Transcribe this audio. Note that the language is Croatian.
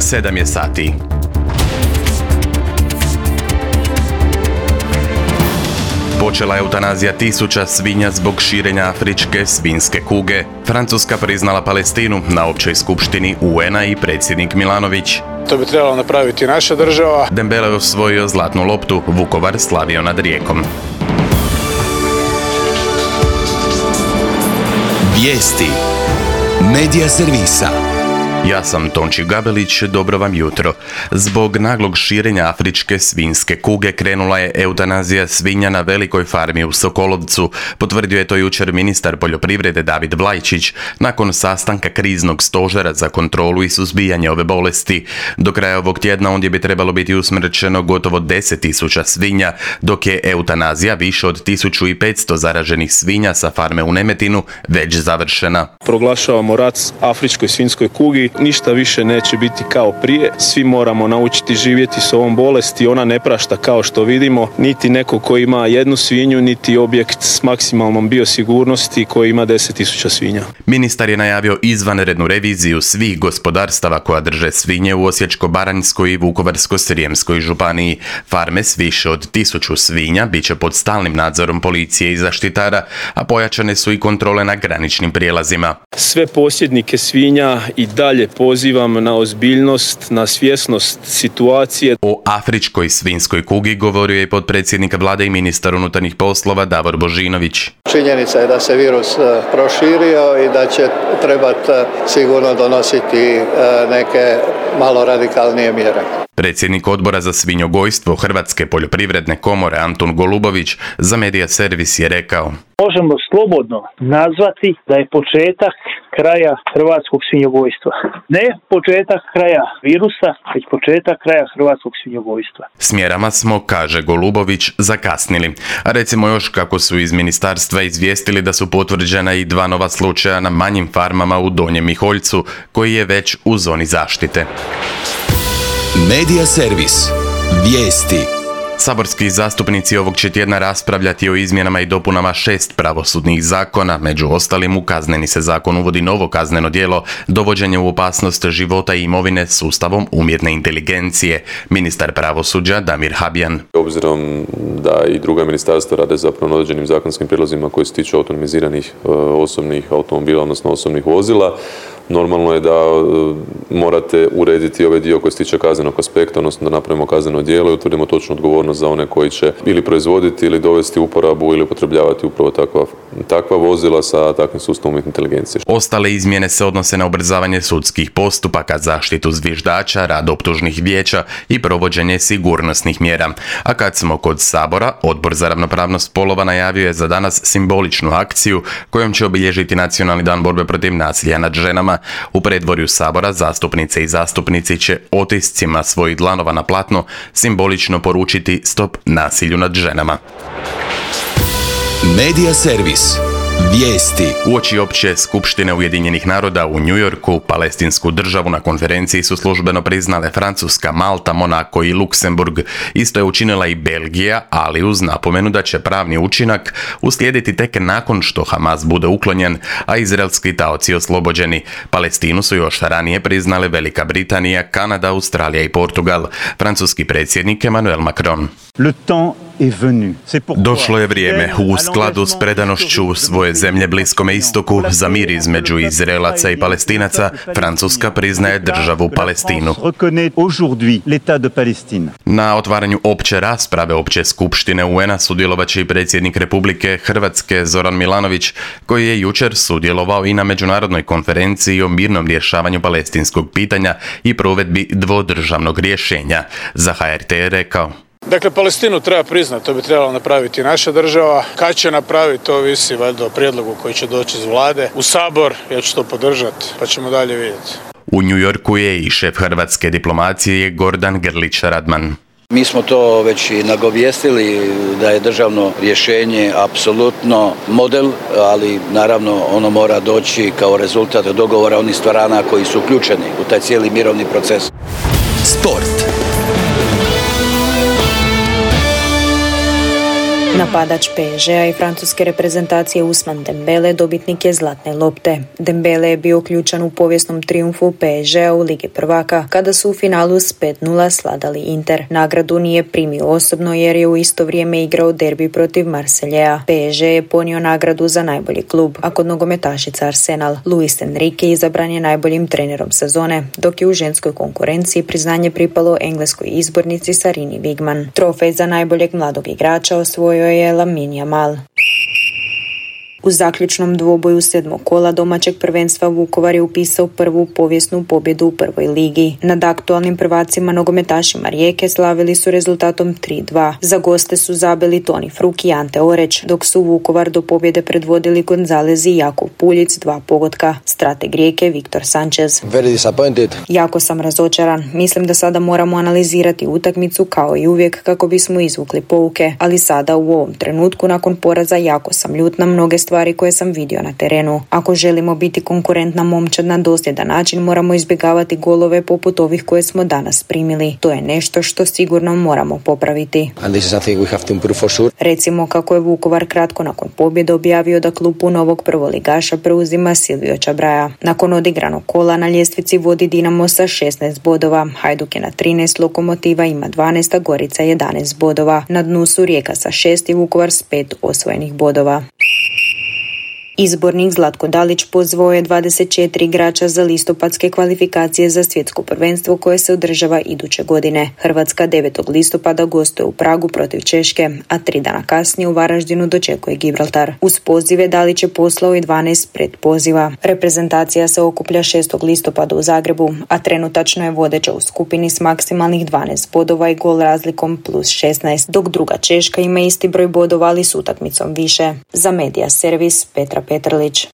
7 je sati. Počela je eutanazija tisuća svinja zbog širenja afričke svinjske kuge. Francuska priznala Palestinu na općoj skupštini UN-a i predsjednik Milanović. To bi trebala napraviti naša država. Dembele je osvojio zlatnu loptu, Vukovar slavio nad Rijekom. Vijesti Medija servisa. Ja sam Tonči Gabelić, dobro vam jutro. Zbog naglog širenja afričke svinjske kuge krenula je eutanazija svinja na velikoj farmi u Sokolovcu, potvrdio je to jučer ministar poljoprivrede David Vlajčić nakon sastanka kriznog stožera za kontrolu i suzbijanje ove bolesti. Do kraja ovog tjedna ondje bi trebalo biti usmrćeno gotovo 10.000 svinja, dok je eutanazija više od 1.500 zaraženih svinja sa farme u Nemetinu već završena. Proglašavamo rat afričkoj svinjskoj kugi. Ništa više neće biti kao prije. Svi moramo naučiti živjeti s ovom bolesti. Ona ne prašta kao što vidimo. Niti neko koji ima jednu svinju, niti objekt s maksimalnom biosigurnosti koji ima 10.000 svinja. Ministar je najavio izvanrednu reviziju svih gospodarstava koja drže svinje u Osječko-baranjskoj i Vukovarsko-srijemskoj županiji. Farme s više od 1.000 svinja bit će pod stalnim nadzorom policije i zaštitara, a pojačane su i kontrole na graničnim prijelazima. Sve posjednike svinja i dalje pozivam na ozbiljnost, na svjesnost situacije. O afričkoj svinjskoj kugi govorio je potpredsjednik vlade i ministar unutarnjih poslova Davor Božinović. Činjenica je da se virus proširio i da će trebati sigurno donositi neke malo radikalnije mjere. Predsjednik odbora za svinjogojstvo Hrvatske poljoprivredne komore Antun Golubović za Medija servis je rekao: možemo slobodno nazvati da je početak kraja hrvatskog svinjogojstva. Ne početak kraja virusa, već početak kraja hrvatskog svinjogojstva. S mjerama smo, kaže Golubović, zakasnili. A recimo još kako su iz ministarstva izvijestili da su potvrđena i 2 nova slučaja na manjim farmama u Donjem Miholjcu, koji je već u zoni zaštite. Medija servis. Vijesti. Saborski zastupnici ovog će tjedna raspravljati o izmjenama i dopunama 6 pravosudnih zakona. Među ostalim, u Kazneni se zakon uvodi novo kazneno djelo dovođenje u opasnost života i imovine sustavom umjetne inteligencije. Ministar pravosuđa Damir Habijan. Obzirom da i druga ministarstva rade zapravo na određenim zakonskim prijedlozima koji se tiču autonomiziranih osobnih automobila, odnosno osobnih vozila, normalno je da morate urediti ovaj dio koji se tiče kaznenog aspekta, odnosno da napravimo kazneno djelo i utvrdimo točnu odgovornost za one koji će ili proizvoditi ili dovesti u uporabu ili upotrebljavati upravo takva vozila sa takvim sustavom umjetne inteligencije. Ostale izmjene se odnose na ubrzavanje sudskih postupaka, zaštitu zviždača, rad optužnih vijeća i provođenje sigurnosnih mjera. A kad smo kod Sabora, Odbor za ravnopravnost spolova najavio je za danas simboličnu akciju kojom će obilježiti Nacionalni dan borbe protiv nasilja nad ženama. U predvorju Sabora zastupnice i zastupnici će otiscima svojih dlanova na platno simbolično poručiti stop nasilju nad ženama. Medija servis. Vijesti. Uoči opće skupštine Ujedinjenih naroda u New Yorku, palestinsku državu na konferenciji su službeno priznale Francuska, Malta, Monako i Luksemburg. Isto je učinila i Belgija, ali uz napomenu da će pravni učinak uslijediti tek nakon što Hamas bude uklonjen, a izraelski taoci oslobođeni. Palestinu su još ranije priznale Velika Britanija, Kanada, Australija i Portugal. Francuski predsjednik Emmanuel Macron. Došlo je vrijeme, u skladu s predanošću svoje zemlje Bliskome istoku za mir između Izraelaca i Palestinaca, Francuska priznaje državu Palestinu. Na otvaranju opće rasprave opće skupštine UN-a sudjelovat će i predsjednik Republike Hrvatske Zoran Milanović, koji je jučer sudjelovao i na međunarodnoj konferenciji o mirnom rješavanju palestinskog pitanja i provedbi dvodržavnog rješenja. Za HRT je rekao: Dakle, Palestinu treba priznati, to bi trebala napraviti naša država. Kad će napraviti, to ovisi valjda o prijedlogu koji će doći iz vlade u Sabor. Ja ću to podržati, pa ćemo dalje vidjeti. U New Yorku je i šef hrvatske diplomacije Gordan Grlić Radman. Mi smo to već i nagovijestili da je državno rješenje apsolutno model, ali naravno ono mora doći kao rezultat dogovora onih strana koji su uključeni u taj cijeli mirovni proces. Sport. Napadač PSG-a i francuske reprezentacije Ousmane Dembele dobitnik je zlatne lopte. Dembele je bio ključan u povijesnom trijumfu PSG-a u Ligi prvaka, kada su u finalu s 5-0 sladali Inter. Nagradu nije primio osobno jer je u isto vrijeme igrao derbi protiv Marseillea. PSG je ponio nagradu za najbolji klub, a kod nogometašica Arsenal Luis Enrique izabran je najboljim trenerom sezone, dok je u ženskoj konkurenciji priznanje pripalo engleskoj izbornici Sarini Wigman. Trofej za najboljeg mladog igrača osvojio je Lamine Yamal. U zaključnom dvoboju 7. kola domaćeg prvenstva Vukovar je upisao prvu povijesnu pobjedu u prvoj ligi. Nad aktualnim prvacima nogometašima Rijeke slavili su rezultatom 3-2. Za goste su zabili Toni Fruk i Ante Oreć, dok su Vukovar do pobjede predvodili Gonzalez i Jakov Puljic 2 pogotka. Strateg Rijeke Viktor Sanchez. Jako sam razočaran. Mislim da sada moramo analizirati utakmicu kao i uvijek kako bismo izvukli pouke, ali sada u ovom trenutku nakon poraza jako sam ljut na mnoge stvari koje sam vidio na terenu. Ako želimo biti konkurentna momčad na dosljedan način, moramo izbjegavati golove poput ovih koje smo danas primili. To je nešto što sigurno moramo popraviti. Recimo kako je Vukovar kratko nakon pobjede objavio da klupu novog prvoligaša preuzima Silvio Čabraja. Nakon odigranog kola na ljestvici vodi Dinamo sa 16 bodova, Hajduk je na 13, Lokomotiva ima 12, a Gorica 11 bodova. Na dnu su Rijeka sa 6 i Vukovar s 5 osvojenih bodova. Izbornik Zlatko Dalić pozvao je 24 igrača za listopadske kvalifikacije za svjetsko prvenstvo koje se održava iduće godine. Hrvatska 9. listopada gostuje u Pragu protiv Češke, a 3 dana kasnije u Varaždinu dočekuje Gibraltar. Uz pozive Dalić je poslao i 12 predpoziva. Reprezentacija se okuplja 6. listopada u Zagrebu, a trenutačno je vodeća u skupini s maksimalnih 12 bodova i gol razlikom plus 16, dok druga Češka ima isti broj bodova ali s utakmicom više. Za Medija servis Petra Petrlić.